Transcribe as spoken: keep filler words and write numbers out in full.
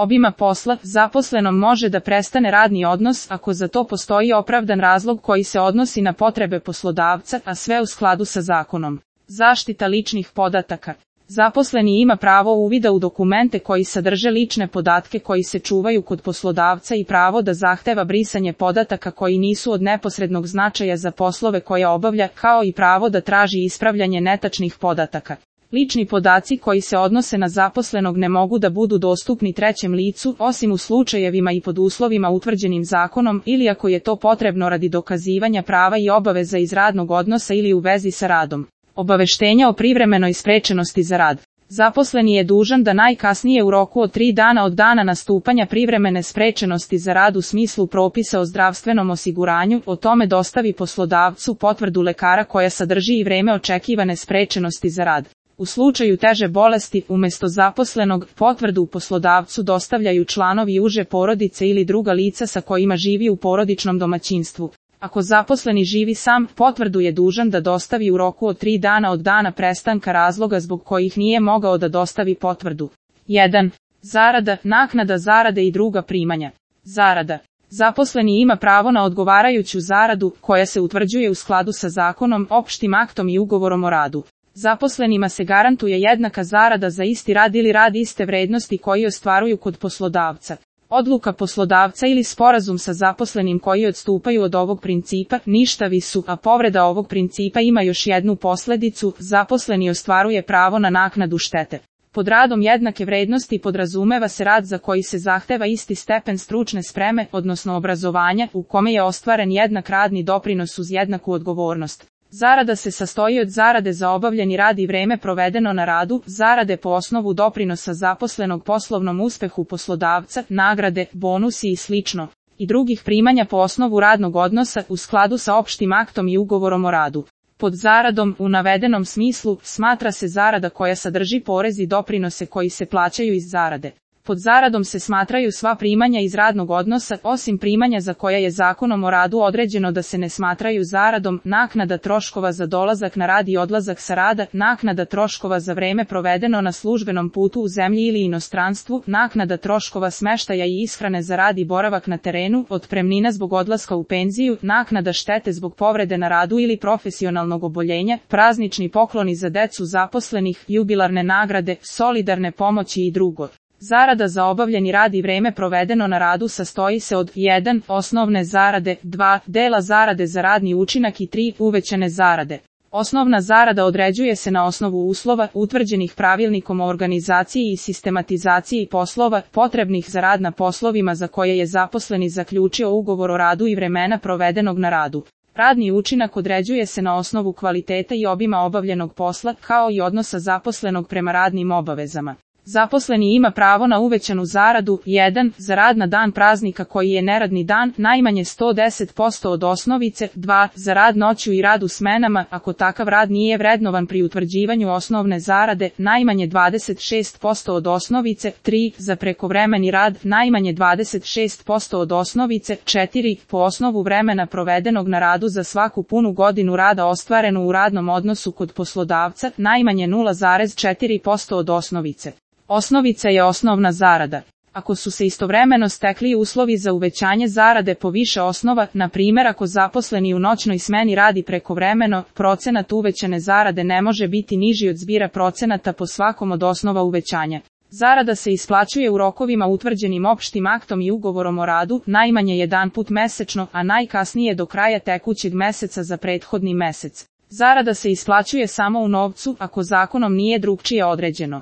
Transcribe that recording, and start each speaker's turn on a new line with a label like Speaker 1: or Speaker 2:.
Speaker 1: obima posla, zaposlenom može da prestane radni odnos ako za to postoji opravdan razlog koji se odnosi na potrebe poslodavca, a sve u skladu sa zakonom. Zaštita ličnih podataka. Zaposleni ima pravo uvida u dokumente koji sadrže lične podatke koji se čuvaju kod poslodavca i pravo da zahteva brisanje podataka koji nisu od neposrednog značaja za poslove koje obavlja, kao i pravo da traži ispravljanje netačnih podataka. Lični podaci koji se odnose na zaposlenog ne mogu da budu dostupni trećem licu, osim u slučajevima i pod uslovima utvrđenim zakonom ili ako je to potrebno radi dokazivanja prava i obaveza iz radnog odnosa ili u vezi sa radom. Obaveštenja o privremenoj sprečenosti za rad. Zaposleni je dužan da najkasnije u roku od tri dana od dana nastupanja privremene sprečenosti za rad u smislu propisa o zdravstvenom osiguranju o tome dostavi poslodavcu potvrdu lekara koja sadrži i vreme očekivane sprečenosti za rad. U slučaju teže bolesti, umjesto zaposlenog, potvrdu poslodavcu dostavljaju članovi uže porodice ili druga lica sa kojima živi u porodičnom domaćinstvu. Ako zaposleni živi sam, potvrdu je dužan da dostavi u roku od tri dana od dana prestanka razloga zbog kojih nije mogao da dostavi potvrdu. jedan. Zarada, naknada zarade i druga primanja. Zarada. Zaposleni ima pravo na odgovarajuću zaradu, koja se utvrđuje u skladu sa zakonom, opštim aktom i ugovorom o radu. Zaposlenima se garantuje jednaka zarada za isti rad ili rad iste vrednosti koji ostvaruju kod poslodavca. Odluka poslodavca ili sporazum sa zaposlenim koji odstupaju od ovog principa ništavi su, a povreda ovog principa ima još jednu posljedicu, zaposleni ostvaruje pravo na naknadu štete. Pod radom jednake vrednosti podrazumeva se rad za koji se zahteva isti stepen stručne spreme, odnosno obrazovanja, u kome je ostvaren jednak radni doprinos uz jednaku odgovornost. Zarada se sastoji od zarade za obavljeni rad i vreme provedeno na radu, zarade po osnovu doprinosa zaposlenog poslovnom uspehu poslodavca, nagrade, bonusi i slično, i drugih primanja po osnovu radnog odnosa u skladu sa opštim aktom i ugovorom o radu. Pod zaradom, u navedenom smislu, smatra se zarada koja sadrži porez i doprinose koji se plaćaju iz zarade. Pod zaradom se smatraju sva primanja iz radnog odnosa, osim primanja za koja je zakonom o radu određeno da se ne smatraju zaradom, naknada troškova za dolazak na rad i odlazak sa rada, naknada troškova za vreme provedeno na službenom putu u zemlji ili inostranstvu, naknada troškova smeštaja i ishrane za rad i boravak na terenu, otpremnina zbog odlaska u penziju, naknada štete zbog povrede na radu ili profesionalnog oboljenja, praznični pokloni za decu zaposlenih, jubilarne nagrade, solidarne pomoći i drugo. Zarada za obavljeni rad i vreme provedeno na radu sastoji se od jedan. Osnovne zarade, dva. Dela zarade za radni učinak i tri. Uvećane zarade. Osnovna zarada određuje se na osnovu uslova utvrđenih pravilnikom o organizaciji i sistematizaciji poslova potrebnih za rad na poslovima za koje je zaposleni zaključio ugovor o radu i vremena provedenog na radu. Radni učinak određuje se na osnovu kvaliteta i obima obavljenog posla, kao i odnosa zaposlenog prema radnim obavezama. Zaposleni ima pravo na uvećanu zaradu, jedan. Za rad na dan praznika koji je neradni dan, najmanje sto deset posto od osnovice, dva. Za rad noću i rad u smenama, ako takav rad nije vrednovan pri utvrđivanju osnovne zarade, najmanje dvadeset šest posto od osnovice, tri. Za prekovremeni rad, najmanje dvadeset šest posto od osnovice, četiri. Po osnovu vremena provedenog na radu za svaku punu godinu rada ostvarenu u radnom odnosu kod poslodavca, najmanje nula zarez četiri posto od osnovice. Osnovica je osnovna zarada. Ako su se istovremeno stekli uslovi za uvećanje zarade po više osnova, na primjer ako zaposleni u noćnoj smeni radi prekovremeno, procenat uvećane zarade ne može biti niži od zbira procenata po svakom od osnova uvećanja. Zarada se isplaćuje u rokovima utvrđenim opštim aktom i ugovorom o radu, najmanje jedanput mesečno, a najkasnije do kraja tekućeg meseca za prethodni mesec. Zarada se isplaćuje samo u novcu, ako zakonom nije drugčije određeno.